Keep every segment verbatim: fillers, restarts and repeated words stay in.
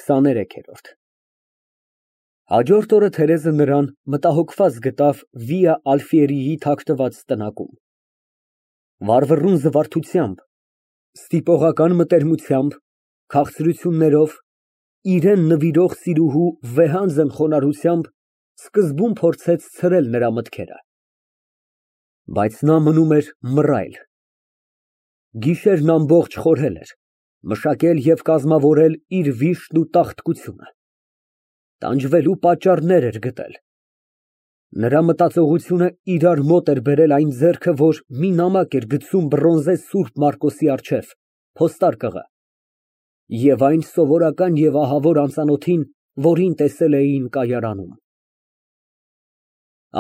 քսաներեքերորդ Հաջորդ օրը Թերեզը նրան մտահոգված գտավ Վիա Ալֆիերիի թաքնված տնակում։ Վառվռուն զվարթությամբ, ստիպողական մտերմությամբ, քաղցրություններով, իրան նվիրող սիրուհու վեհանձն խոնարհությամբ սկզբում փորձեց ցրել նրա մտքերը, բայց նա մնում էր մռայլ։ Գիշերն ամբողջ խորհել էր, մշակել և կազմավորել իր վիշտն ու տաղտկությունը, տանջվելու պատճառներ էր գտել։ Նրա մտածողությունը իրար մոտ էր բերել այն ձեռքը, որ մի նամակ էր գցում բրոնզե Սուրբ Մարկոսի առջև, փոստարկղը, և այն սովորական և ահավոր անծանոթին, որին տեսել էին կայարանում։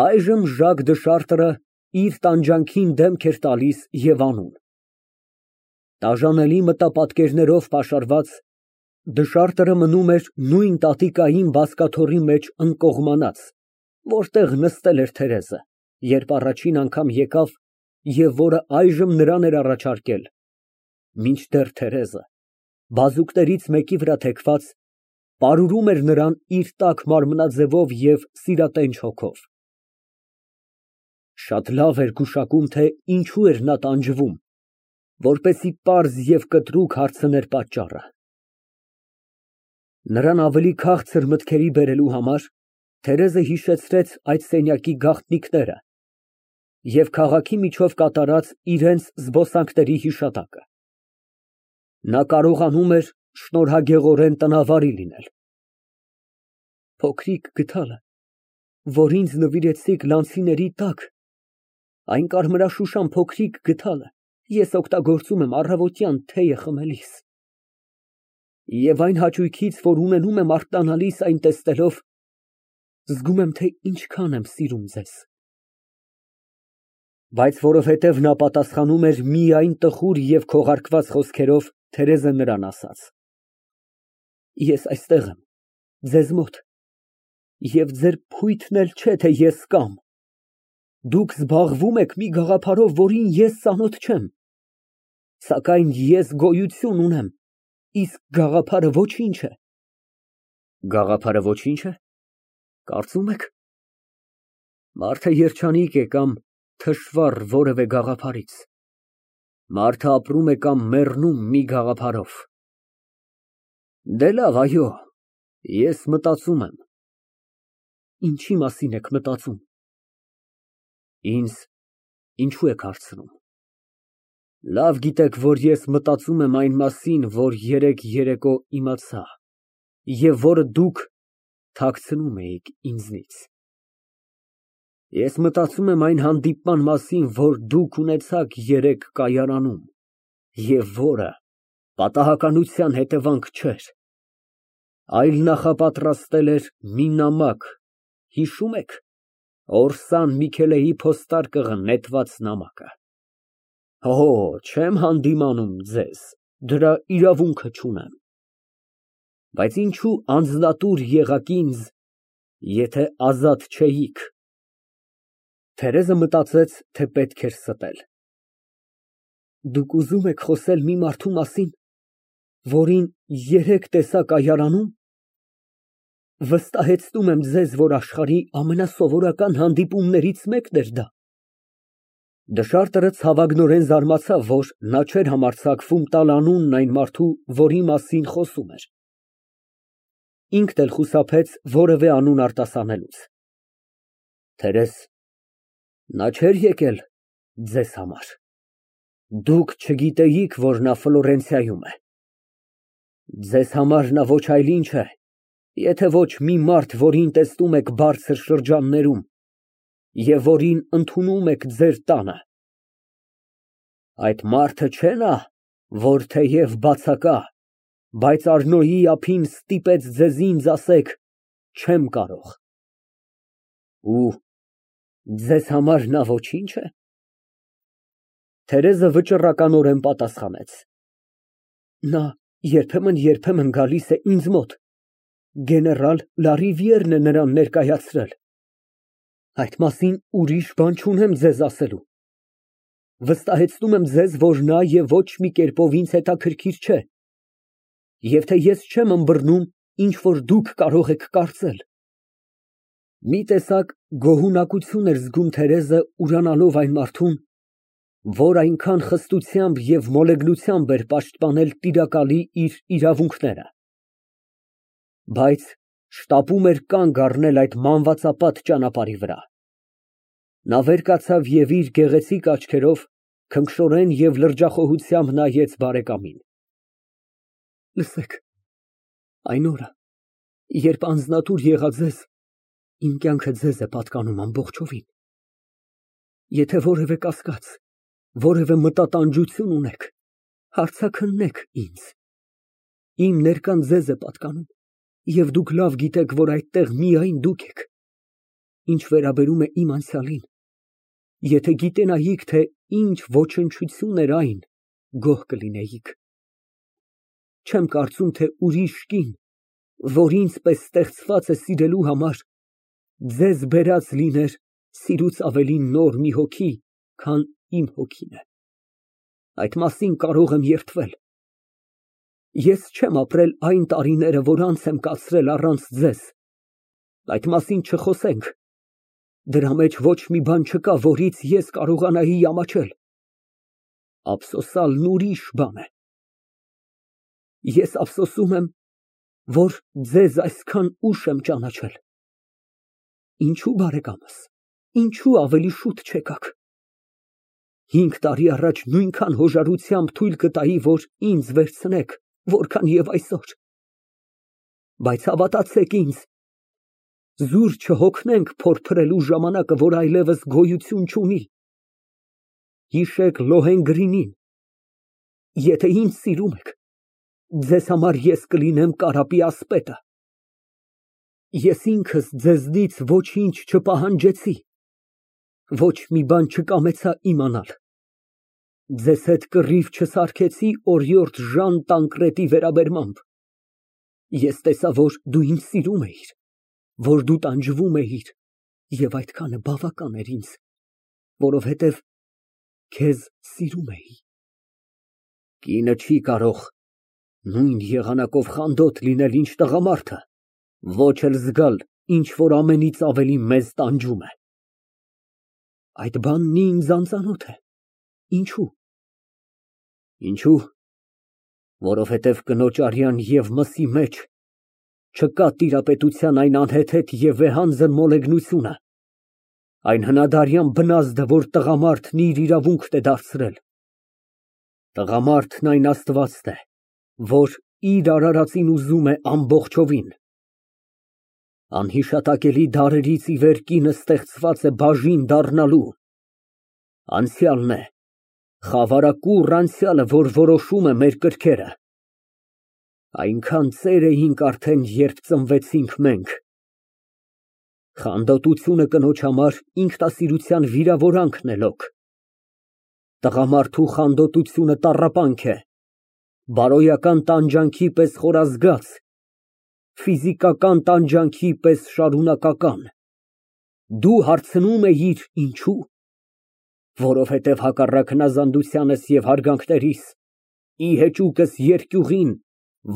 Այժմ Ժակ դը Շարտրը իր տանջանքին դեմք էր տալիս և անում։ Տաժանելի մտապատկերներով պաշարված, Դշարտրը մնում էր նույն տատիկային բազկաթոռի մեջ ընկողմանած, որտեղ նստել էր Թերեզը, երբ առաջին անգամ եկավ և որը այժմ նրան էր առաջարկել, մինչդեռ Թերեզը, բազուկներից մեկի վրա թեքված, պարուրում էր նրան իր տաք մարմնաձևով և սիրատենչ հոգով։ Շատ լավ էր գուշակում, թե ինչու էր նա տանջվում, որպեսզի պարզ և կտրուկ հարցներ պատճառը։ Նրան ավելի քաղցր մտքերի բերելու համար Թերեզը հիշեցրեց այդ սենյակի գաղտնիքները և քաղաքի միջով կատարած իրենց զբոսանքների հիշատակը։ Նա կարողանում էր շնորհագեղորեն տնավարի լինել։ Փոքրիկ գդալը, որ ինձ նվիրեցիք լանցիների տակ, այն կարմրաշուշան փոքրիկ գդալը ես օգտագործում եմ առավոտյան թեյը խմելիս։ Եվ այն հաճույքից, որ ունենում եմ արտանալիս այն տեսնելով, զգում եմ, թե ինչքան եմ սիրում ձեզ։ Բայց որովհետև նա պատասխանում էր միայն տխուր և քողարկված խոսքերով, Թերեզը նրան ասաց. Ես այստեղ եմ, ձեզ մոտ, և ձեր փույթն էլ չէ, թե ես կամ։ Դուք զբաղվում եք մի գաղափարով, որին ես ծանոթ չեմ, սակայն ես գոյություն ունեմ, իսկ գաղափարը ոչինչ է։ Գաղափարը ոչինչ է, կարծում եք։ Մարդը երջանիկ է կամ թշվառ որևէ գաղափարից։ Մարդը ապրում է կամ մեռնում մի գաղափարով։ Դե լավ, այո, ես մտածում եմ։ Ինչի մասին եք մտածում։ Ինձ ինչու եք հարցնում։ Լավ գիտեք, որ ես մտածում եմ այն մասին, որ երեկ երեկո իմացա, և որը դուք թաքցնում էիք ինձնից։ Ես մտածում եմ այն հանդիպման մասին, որ դուք ունեցաք երեկ կայարանում, և որը պատահականության հետևանք չէր, այլ նախապատրաստել էր մի նամակ, հիշո՞ւմ եք, Օրսան Միքելեի փոստարկղը նետված նամակը։ Հո, չեմ հանդիմանում ձեզ, դրա իրավունքը չունեմ։ Բայց ինչու անձնատուր եղաք ինձ, եթե ազատ չէիք։ Թերեզը մտածեց, թե պետք էր ստել։ Դուք ուզում եք խոսել մի մարդու մասին, որին երեկ տեսա կայարանում։ Վստահեցնում եմ ձեզ, որ աշխարհի ամենասովորական հանդիպումներից մեկն էր դա։ Դշարտրը ցավագնորեն զարմացավ, որ նա չէր համարձակվում տալ անունն այն մարդու, որի մասին խոսում էր։ Ինքն էլ խուսափեց որևէ անուն արտասանելուց։ Թերեզ, նա չէր եկել ձեզ համար։ Դուք չգիտեիք, որ նա Ֆլորենցիայում է։ Ձեզ համար նա ոչ այլ ինչ է, եթե ոչ մի մարդ, որին տեսնում եք բարձր շրջաններում և որին ընդունում եք ձեր տանը։ Այդ մարդը չէ՞ նա, որ թեև բացակա, բայց Արնոյի ափին ստիպեց ձեզ ինձ ասեք. չեմ կարող։ Ու ձեզ համար նա ոչի՞նչ է։ Թերեզը վճռականորեն պատասխանեց. Նա երբեմն֊երբեմն գալիս է ինձ մոտ, գեներալ Լարիվիերն է նրան ներկայացրել։ Այդ մասին ուրիշ բան չունեմ ձեզ ասելու։ Վստահեցնում եմ ձեզ, որ նա և ոչ մի կերպով ինձ հետաքրքիր չէ, և թե ես չեմ ըմբռնում, ինչ որ դուք կարող եք կարծել։ Մի տեսակ գոհունակություն էր զգում Թերեզը, ուրանալով այն մարդուն, որ այնքան խստությամբ և մոլեգնությամբ էր պաշտպանել տիրակալի իր իրավունքները։ Բայց շտապում էր կանգ առնել այդ մանվածապատ ճանապարհի վրա։ Նա վեր կացավ և իր գեղեցիկ աչքերով քնքշորեն և լրջախոհությամբ նայեց բարեկամին։ Լսեք, այն օրը, երբ անձնատուր եղա ձեզ, իմ կյանքը ձեզ է պատկանում ամբողջովին։ Եթե որևէ կասկած, որևէ մտատանջություն ունեք, հարցաքննեք ինձ։ Իմ ներկան ձեզ է պատկանում, և դուք լավ գիտեք, որ այդտեղ միայն դուք եք։ Ինչ վերաբերում է իմ անցյալին, եթե գիտենայիք, թե ինչ ոչնչություն էր այն, գոհ կլինեիք։ Չեմ կարծում, թե ուրիշ կին, որ ինձ պես ստեղծված է սիրելու համար, ձեզ բերած լիներ սիրուց ավելի նոր մի հոգի, քան իմ հոգին է։ Այդ մասին կարող եմ երդվել։ Ես չեմ ապրել այն տարիները, որ անց եմ կացրել առանց ձեզ։ Այդ մասին չխոսենք։ Դրա մեջ ոչ մի բան չկա, որից ես կարողանայի ամաչել։ Ափսոսալն ուրիշ բան է։ Ես ափսոսում եմ, որ ձեզ այսքան ուշ եմ ճանաչել։ Ինչու, բարեկամս, ինչու ավելի շուտ չեկաք։ Հինգ տարի առաջ նույնքան հոժարությամբ թույլ կտայի, որ ինձ վերցնեք, որքան և այսօր։ Բայց հավատացեք ինձ, զուր չհոգնենք փորփրելու ժամանակը, որ այլևս գոյություն չունի։ Հիշեք Լոհենգրինին։ Եթե ինձ սիրում եք, ձեզ համար ես կլինեմ կարապի ասպետը։ Ես ինքս ձեզնից ոչինչ չպահանջեցի, ոչ մի բան չկամեցա իմանալ։ Ձեզ հետ կռիվ չսարքեցի օրիորդ Ժան Տանկրետի վերաբերմամբ։ Ես տեսա, որ դու ինձ սիրում էիր, որ դու տանջվում էիր, և այդքանը բավական էր ինձ, որովհետև քեզ սիրում էի։ Կինը չի կարող նույն եղանակով խանդոտ լինել, ինչ տղամարդը, ոչ էլ զգալ, ինչ որ ամենից ավելի մեզ տանջում է։ Այդ բանն ինձ անծանոթ է։ Ինչու։ Ինչու, որովհետև կնոջ արյան և մսի մեջ չկա տիրապետության այն անհեթեթ և վեհանձն մոլեգնությունը, այն հնադարյան բնազդը, որ տղամարդն իր իրավունքն է դարձրել։ Տղամարդն այն աստվածն է, որ իր արարածին ուզում է ամբողջովին։ Անհիշատակելի դարերից ի վեր կինը ստեղծված է բաժին դառնալու։ Անցյալն է, խավարակուռ անցյալը, որ որոշում է մեր կրքերը։ Այնքան ծեր էինք արդեն, երբ ծնվեցինք մենք։ Խանդոտությունը կնոջ համար ինքնասիրության վիրավորանքն է լոկ։ Տղամարդու խանդոտությունը տառապանք է, բարոյական տանջանքի պես խորազգաց, ֆիզիկական տանջանքի պես շարունակական։ Դու հարցնում էիր ինչու՞։ Որովհետև հակառակ հնազանդությանս և հարգանքներիս, ի հեճուկս երկյուղին,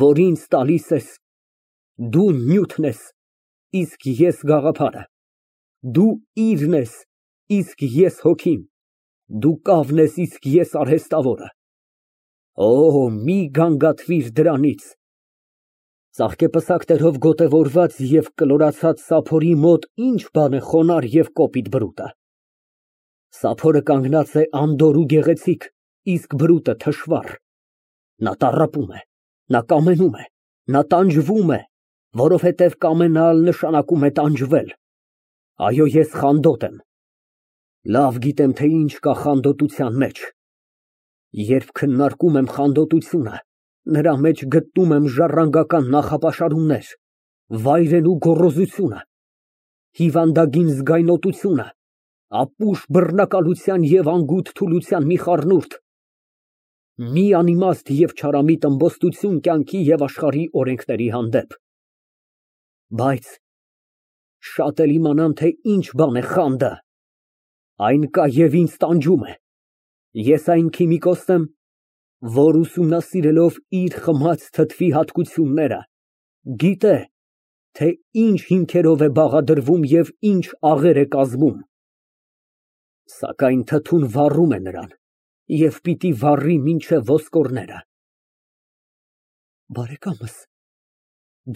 որ ինձ տալիս ես, դու նյութն ես, իսկ ես գաղափարը, դու իրն ես, իսկ ես հոգին, դու կավն ես, իսկ ես արհեստավորը։ Օ, մի գանգատվիր դրանից։ Ծաղկեպսակներով գոտևորված և կլորացած սափորի մոտ ինչ բան է խոնարհ և կոպիտ բրուտը։ Սափորը կանգնած է անդորր ու գեղեցիկ, իսկ բրուտը թշվառ։ Նա տառապում է, նա կամենում է, նա տանջվում է, որովհետև կամենալ նշանակում է տանջվել։ Այո, ես խանդոտ եմ։ Լավ գիտեմ, թե ինչ կա խանդոտության մեջ։ Երբ քննարկում եմ խանդոտությունը, նրա մեջ գտնում եմ ժառանգական նախապաշարումներ, վայրենու գոռոզությունը, հիվանդագին զգայնոտությունը, ապուշ բռնակալության և անգութ թուլության մի խառնուրդ, մի անիմաստ և չարամիտ ըմբոստություն կյանքի և աշխարհի օրենքների հանդեպ։ Բայց շատ էլ իմանամ, թե ինչ բան է խանդը։ Այն կա և ինձ տանջում է։ Ես այն քիմիկոսն եմ, որ ուսումնասիրելով իր խմած թթվի հատկությունները, Գիտե, թե ինչ հիմքերով է բաղադրվում և ինչ աղեր է կազմում, սակայն թթուն վառում է նրան և պիտի վառի մինչև ոսկորները։ Բարեկամս,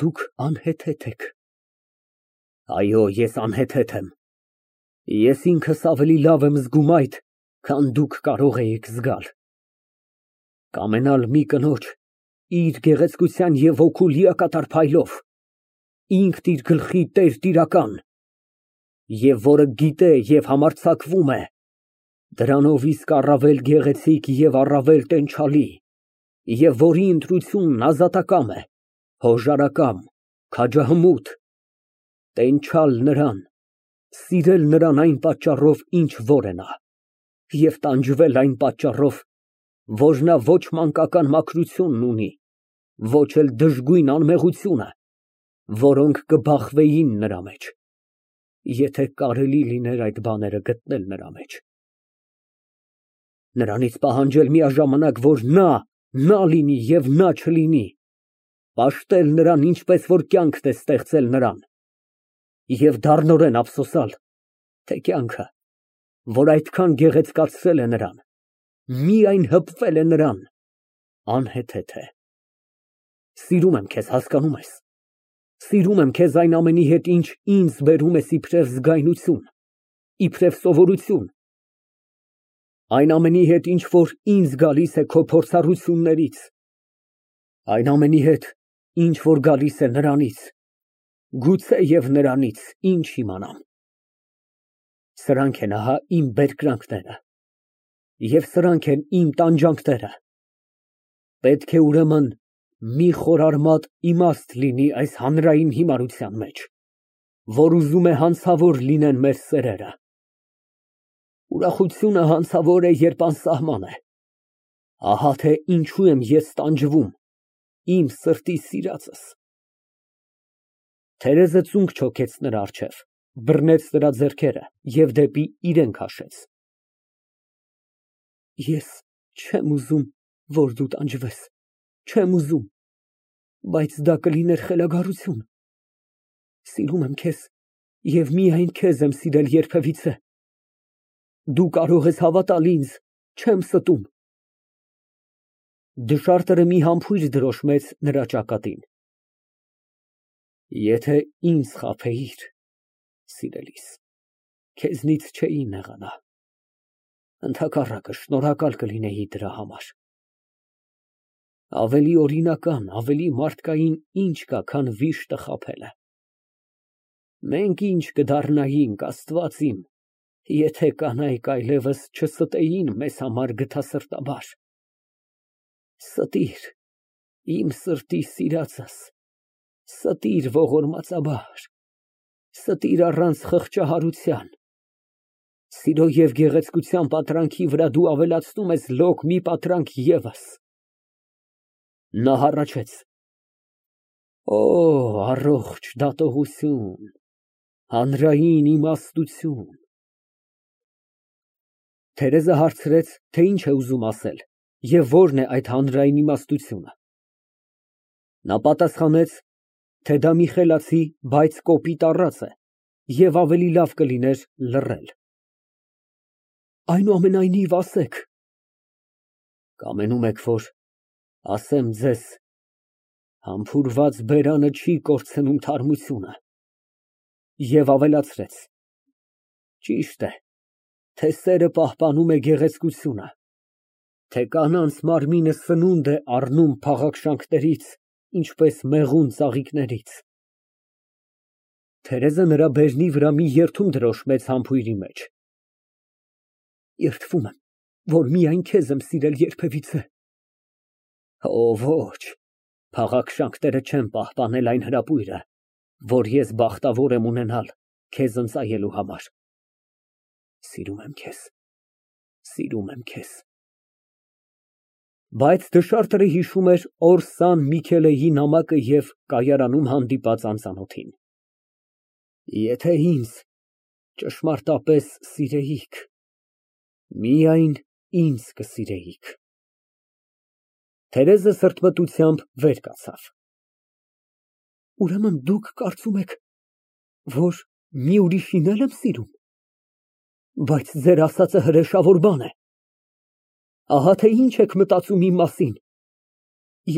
դուք անհեթեթ եք։ Այո, ես անհեթեթ եմ։ Ես ինքս ավելի լավ եմ զգում այդ, քան դուք կարող էիք զգալ։ Կամենալ մի կնոջ իր գեղեցկության և հոգու լիակատար փայլով, ինքն իր գլխի տեր֊տիրական, և որը գիտե և համարձակվում է, դրանով իսկ առավել գեղեցիկ և առավել տենչալի, և որի ընտրությունն ազատակամ է, հոժարակամ, քաջահմուտ, տենչալ նրան, սիրել նրան այն պատճառով, ինչ որ է նա, և տանջվել այն պատճառով, որ նա ոչ մանկական մաքրությունն ունի, ոչ էլ դժգույն անմեղությունը, որոնք կբախվեին նրա մեջ, եթե կարելի լիներ այդ բաները գտնել նրա մեջ։ Նրանից պահանջել միաժամանակ, որ նա նա լինի և նա չլինի, պաշտել նրան, ինչպես որ կյանքդ է ստեղծել նրան, և դառնորեն ափսոսալ, թե կյանքը, որ այդքան գեղեցկացրել է նրան, միայն հպվել է նրան, անհեթեթ է։ Սիրում եմ քեզ, հասկանո՞ւմ ես, սիրում եմ քեզ այն ամենի հետ, ինչ ինձ բերում ես իբրև զգայնություն, իբրև սովորություն, այն ամենի հետ, ինչ որ ինձ գալիս է քո փորձառություններից, այն ամենի հետ, ինչ որ գալիս է նրանից, գուցեև նրանից, ինչ իմանամ։ Սրանք են ահա իմ բերկրանքները, և սրանք են իմ տանջանքները։ Պետք է, ուրեմն, մի խորարմատ իմաստ լինի այս հանրային հիմարության մեջ, որ ուզում է հանցավոր լինեն մեր սերերը։ Ուրախությունը հանցավոր է, երբ անսահման է։ Ահա թե ինչու եմ ես տանջվում, իմ սրտի սիրածս։ Թերեզը ծունկ չոքեց նրա առջև, բռնեց նրա ձեռքերը և դեպի իրան քաշեց։ Ես չեմ ուզում, որ դու տանջվես, չեմ ուզում, բայց դա կլիներ խելագարություն։ Սիրում եմ քեզ և միայն քեզ եմ սիրել երբևիցե։ Դու կարող ես հավատալ ինձ, չեմ ստում։ Դշարտերը մի համբույր դրոշմեց նրա ճակատին։ Եթե ինձ խաբեիր, սիրելիս, քեզնից չէի նեղանա, ընդհակառակը, շնորհակալ կլինեի դրա համար։ Ավելի օրինական, ավելի մարդկային ինչ կա, քան վիշտը խաբելը։ Մենք ինչ կդառնայինք, Աստված իմ, եթե կանայք այլևս չստեին մեզ համար գթասրտաբար։ Ստիր, իմ սրտի սիրածս, ստիր ողորմածաբար, ստիր առանց խղճահարության, սիրո և գեղեցկության պատրանքի վրա դու ավելացնում ես լոկ մի պատրանք ևս։ Նա հառաչեց. Օ, առողջ դատողություն, հանրային իմաստություն։ Թերեզը հարցրեց, թե ինչ է ուզում ասել և որն է այդ հանրային իմաստությունը։ Նա պատասխանեց, թե դա մի խելացի, բայց կոպիտ առած է և ավելի լավ կլիներ լռել։ Այնուամենայնիվ, ասեք։ Կամենում եք, որ ասեմ ձեզ, համբուրված բերանը չի կորցնում թարմությունը։ Եվ ավելացրեց. ճիշտ է, թե սերը պահպանում է գեղեցկությունը, թե կանանց մարմինը սնունդ է առնում փաղաքշանքներից, ինչպես մեղուն ծաղիկներից։ Թերեզը նրա բերնի վրա մի երդում դրոշմեց համբույրի մեջ։ Երդվում եմ, որ միայն քեզ եմ սիրել երբևիցե։ Օ, ոչ, փաղաքշանքները չեն պահպանել այն հրապույրը, որ ես բախտավոր եմ ունենալ քեզ ընծայելու համար։ Սիրում եմ քեզ, սիրում եմ քեզ։ Բայց դշարտը հիշում էր Օրսան Միքելեի նամակը և կայարանում հանդիպած անծանոթին։ Եթե ինձ ճշմարտապես սիրեիք, միայն ինձ կսիրեիք։ Թերեզը սրտմտությամբ վեր կացավ։ Ուրեմն դուք կարծում եք, որ մի ուրիշին էլ եմ սիրում, բայց ձեր ասածը հրեշավոր բան է։ Ահա թե ինչ եք մտածում իմ մասին,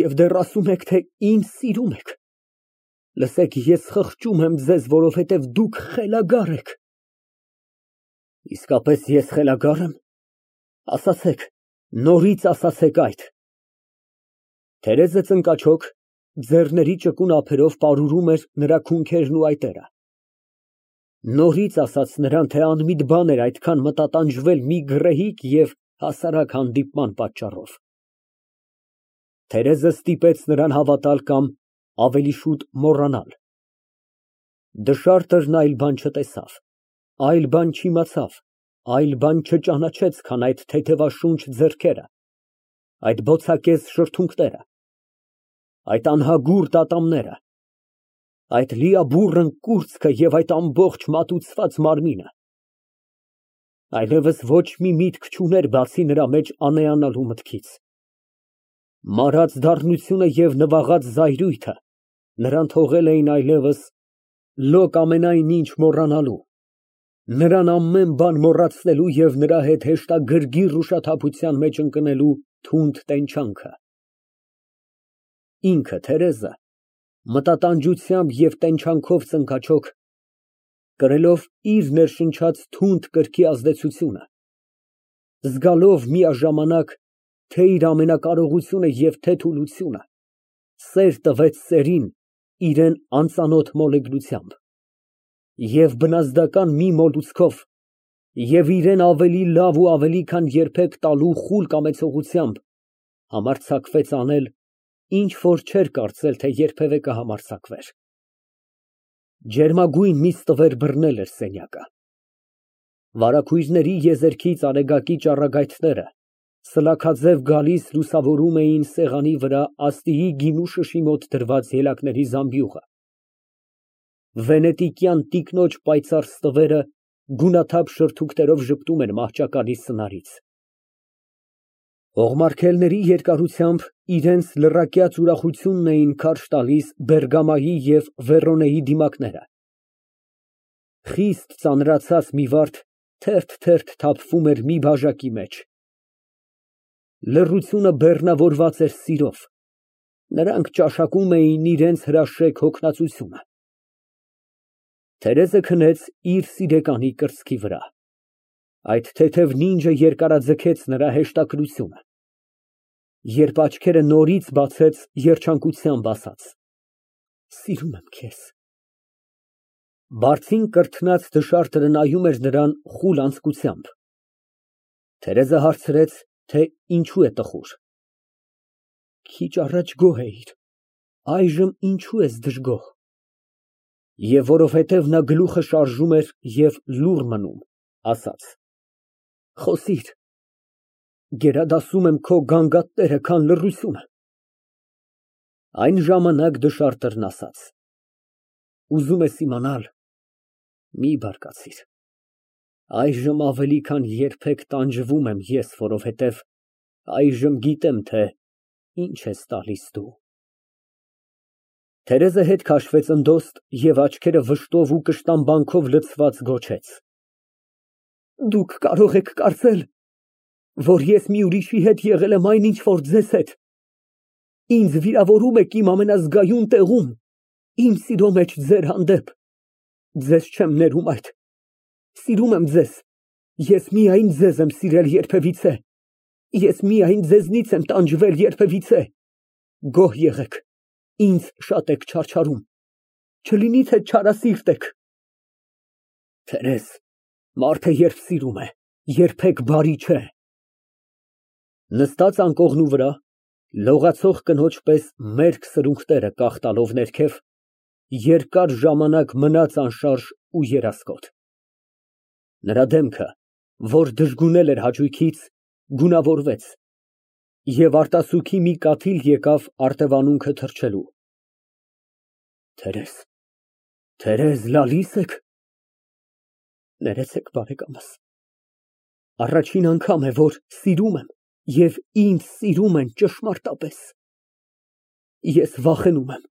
և դեռ ասում եք, թե ինձ սիրում եք։ Լսեք, ես խղճում եմ ձեզ, որովհետև դուք խելագար եք։ Իսկապես ես խելագա՞ր եմ։ Ասացեք, նորից ասացեք այդ։ Թերեզը ծնկաչոք, ձեռների ճկուն ափերով պարուրում էր նրա քունքերն ու այտերը։ Նորից ասաց նրան, թե անմիտ բան էր այդքան մտատանջվել մի գռեհիկ և հասարակ հանդիպման պատճառով։ Թերեզը ստիպեց նրան հավատալ կամ ավելի շուտ մոռանալ։ Դժարդրն այլ բան չտեսավ, այլ բան չիմացավ, այլ բան չճանաչեց, քան այդ թեթևաշունչ ձեռքերը, այդ բոցակեզ շրթունքները, այդ անհագուրդ ատամները, այդ լիաբուռն կուրծքը և այդ ամբողջ մատուցված մարմինը։ Այլևս ոչ մի միտք չուներ, բացի նրա մեջ անեանալու մտքից։ Մարած դառնությունը և նվաղած զայրույթը նրան թողել էին այլևս լոկ ամենայն ինչ մոռանալու, նրան ամեն բան մոռացնելու և նրա հետ հեշտագրգիռ ուշաթափության մեջ ընկնելու թունդ տենչանքը։ Ինքը, Թերեզը, մտատանջությամբ և տենչանքով ծնկաչոք, կրելով իր ներշնչած թունդ կրքի ազդեցությունը, զգալով միաժամանակ թե իր ամենակարողությունը և թե թուլությունը, սեր տվեց սերին իրան անծանոթ մոլեգնությամբ և բնազդական մի մոլուցքով և իրան ավելի լավ ու ավելի քան երբեք տալու խուլ կամեցողությամբ համարձակվեց անել, ինչ որ չէր կարծել, թե երբևէ կհամարձակվեր։ Ջերմագույն մի ստվեր բռնել էր սենյակը։ Վարագույրների եզերքից արեգակի ճառագայթները սլաքաձև գալիս լուսավորում էին սեղանի վրա աստիի գինու շշի մոտ դրված ելակների զամբյուղը։ Վենետիկյան տիկնոջ պայծառ ստվերը գունաթափ շրթունքներով ժպտում էր մահճակալի սնարից։ Օղմարկելների երկարությամբ իրենց լռակյաց ուրախությունն էին քարշ տալիս Բերգամայի և Վեռոնեի դիմակները։ Խիստ ծանրացած մի վարդ թերթ֊թերթ թափվում էր մի բաժակի մեջ։ Լռությունը բեռնավորված էր սիրով, նրանք ճաշակում էին իրենց հրաշեկ հոգնածությունը։ Թերեզը քնեց իր սիրեկանի կրծքի վրա, այդ թեթև նինջը երկարաձգեց նրա հեշտակրությունը, երբ աչքերը նորից բացեց, երջանկությամբ ասաց. Սիրում եմ քեզ։ Բարձին կրթնած դժարդը նայում էր նրան խուլ անձկությամբ։ Թերեզը հարցրեց, թե ինչու է տխուր։ Քիչ առաջ գոհ էիր, այժմ ինչու ես դժգոհ։ Եվ որովհետև նա գլուխը շարժում էր և լուռ մնում, ասաց. Խոսիր, գերադասում եմ քո գանգատները, քան լռությունը։ Այն ժամանակ դժարդն ասաց. Ուզում ես իմանալ, մի բարկացիր, այժմ ավելի քան երբեք տանջվում եմ ես, որովհետև այժմ գիտեմ, թե ինչ ես տալիս դու։ Թերեզը հետ քաշվեց ընդոստ և աչքերը վշտով ու կշտամբանքով լցված գոչեց. Դուք կարող եք կարծել, որ ես մի ուրիշի հետ եղել եմ այն, ինչ որ ձեզ հետ։ Ինձ վիրավորում եք իմ ամենազգայուն տեղում, իմ սիրո մեջ ձեր հանդեպ։ Ձեզ չեմ ներում այդ։ Սիրում եմ ձեզ, ես միայն ձեզ եմ սիրել երբևիցե, ես միայն ձեզնից եմ տանջվել երբևիցե։ Գոհ եղեք, ինձ շատ եք չարչարում, չլինի թե չարասիրտ եք։ Թերեզ, մարդը երբ սիրում է, երբեք բարի չէ։ Նստած անկողնու վրա, լողացող կնոջ պես մերկ սրունքները կախ տալով ներքև, երկար ժամանակ մնաց անշարժ ու երասկոտ։ Նրա դեմքը, որ դժգունել էր հաճույքից, գունավորվեց, և արտասուքի մի կաթիլ եկավ արտևանունքը թռչելու։ Թերեզ, Թերեզ, լալի՞ս եք։ Ներեցեք, բարեկամս, առաջին անգամ է, որ սիրում եմ և ինձ սիրում են ճշմարտապես։ Ես վախենում եմ,